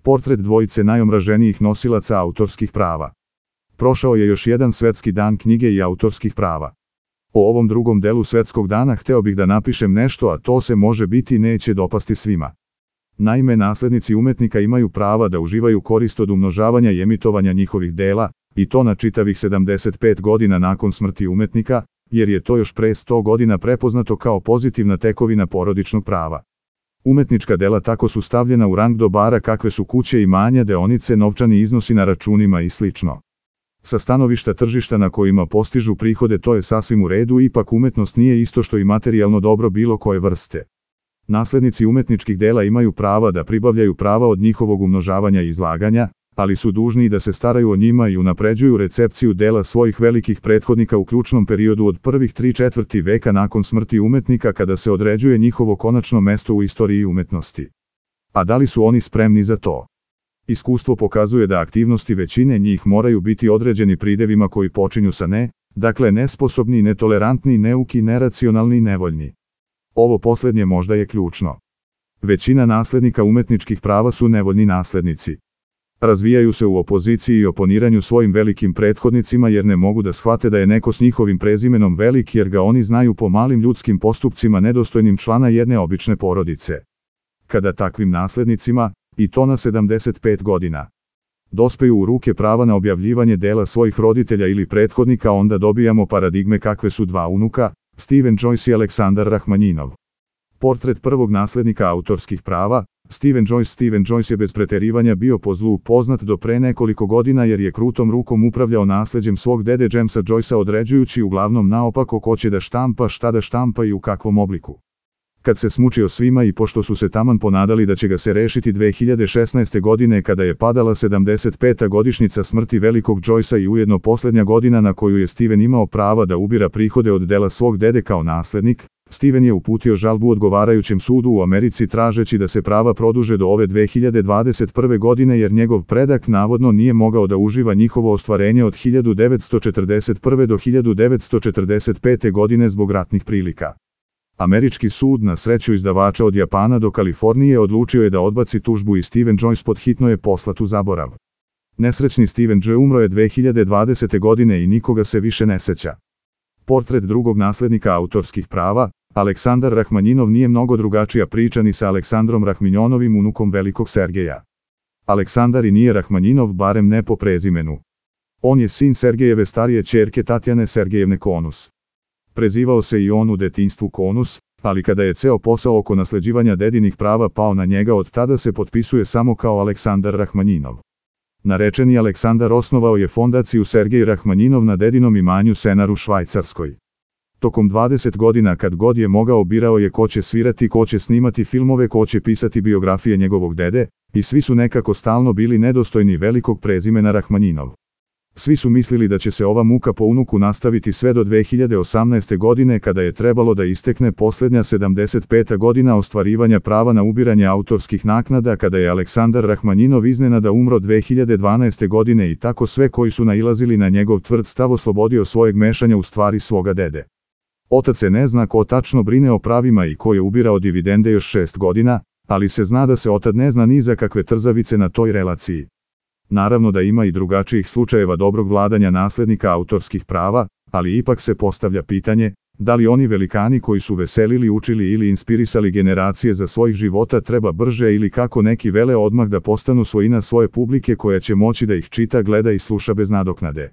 Portret dvojice najomraženijih nosilaca autorskih prava. Prošao je još jedan svetski dan knjige i autorskih prava. O ovom drugom delu svetskog dana hteo bih da napišem nešto, a to se može biti neće dopasti svima. Naime, naslednici umetnika imaju prava da uživaju korist od umnožavanja i emitovanja njihovih dela, i to na čitavih 75 godina nakon smrti umetnika, jer je to još pre 100 godina prepoznato kao pozitivna tekovina porodičnog prava. Umetnička dela tako su stavljena u rang dobara kakve su kuće, imanja, deonice, novčani iznosi na računima i sl. Sa stanovišta tržišta na kojima postižu prihode to je sasvim u redu, ipak umetnost nije isto što i materijalno dobro bilo koje vrste. Naslednici umetničkih dela imaju prava da pribavljaju prava od njihovog umnožavanja i izlaganja, ali su dužni da se staraju o njima i unapređuju recepciju dela svojih velikih prethodnika u ključnom periodu od prvih 3/4 veka nakon smrti umetnika, kada se određuje njihovo konačno mesto u istoriji umetnosti. A da li su oni spremni za to? Iskustvo pokazuje da aktivnosti većine njih moraju biti određeni pridevima koji počinju sa ne, dakle nesposobni, netolerantni, neuki, neracionalni i nevoljni. Ovo posljednje možda je ključno. Većina naslednika umetničkih prava su nevoljni naslednici. Razvijaju se u opoziciji i oponiranju svojim velikim prethodnicima jer ne mogu da shvate da je neko s njihovim prezimenom velik, jer ga oni znaju po malim ljudskim postupcima nedostojnim člana jedne obične porodice. Kada takvim naslednicima, i to na 75 godina, dospeju u ruke prava na objavljivanje dela svojih roditelja ili prethodnika, onda dobijamo paradigme kakve su dva unuka, Steven Joyce i Aleksandar Rahmanjinov. Portret prvog naslednika autorskih prava, Steven Joyce je bez preterivanja bio po zlu poznat do pre nekoliko godina jer je krutom rukom upravljao nasleđem svog dede Jamesa Joycea, određujući uglavnom naopako ko će da štampa, šta da štampa i u kakvom obliku. Kad se smučio svima i pošto su se taman ponadali da će ga se rešiti 2016. godine kada je padala 75. godišnjica smrti velikog Joycea i ujedno posljednja godina na koju je Steven imao prava da ubira prihode od dela svog dede kao naslednik, Steven je uputio žalbu odgovarajućem sudu u Americi tražeći da se prava produže do ove 2021. godine jer njegov predak navodno nije mogao da uživa njihovo ostvarenje od 1941. do 1945. godine zbog ratnih prilika. Američki sud, na sreću izdavača od Japana do Kalifornije, odlučio je da odbaci tužbu i Steven Joyce podhitno je poslat u zaborav. Nesrećni Steven J. umro je 2020. godine i nikoga se više ne seća. Portret drugog naslednika autorskih prava, Aleksandar Rahmanjinov, nije mnogo drugačija priča ni sa Aleksandrom Rahmanjonovim, unukom velikog Sergeja. Aleksandar i nije Rahmanjinov, barem ne po prezimenu. On je sin Sergejeve starije ćerke Tatjane Sergejevne Konus. Prezivao se i on u detinjstvu Konus, ali kada je ceo posao oko nasleđivanja dedinih prava pao na njega, od tada se potpisuje samo kao Aleksandar Rahmanjinov. Narečeni Aleksandar osnovao je fondaciju Sergej Rahmanjinov na dedinom imanju Senar u Švajcarskoj. Tokom 20 godina kad god je mogao birao je ko će svirati, ko će snimati filmove, ko će pisati biografije njegovog dede, i svi su nekako stalno bili nedostojni velikog prezimena Rahmanjinov. Svi su mislili da će se ova muka po unuku nastaviti sve do 2018. godine kada je trebalo da istekne posljednja 75. godina ostvarivanja prava na ubiranje autorskih naknada, kada je Aleksandar Rahmanjinov iznenada umro 2012. godine i tako sve koji su nailazili na njegov tvrd stav oslobodio svojeg mešanja u stvari svoga dede. Otac se ne zna ko tačno brine o pravima i ko je ubirao dividende još 6 godina, ali se zna da se otad ne zna ni za kakve trzavice na toj relaciji. Naravno da ima i drugačijih slučajeva dobrog vladanja naslednika autorskih prava, ali ipak se postavlja pitanje, da li oni velikani koji su veselili, učili ili inspirisali generacije za svojih života treba brže ili, kako neki vele, odmah da postanu svojina svoje publike koja će moći da ih čita, gleda i sluša bez nadoknade.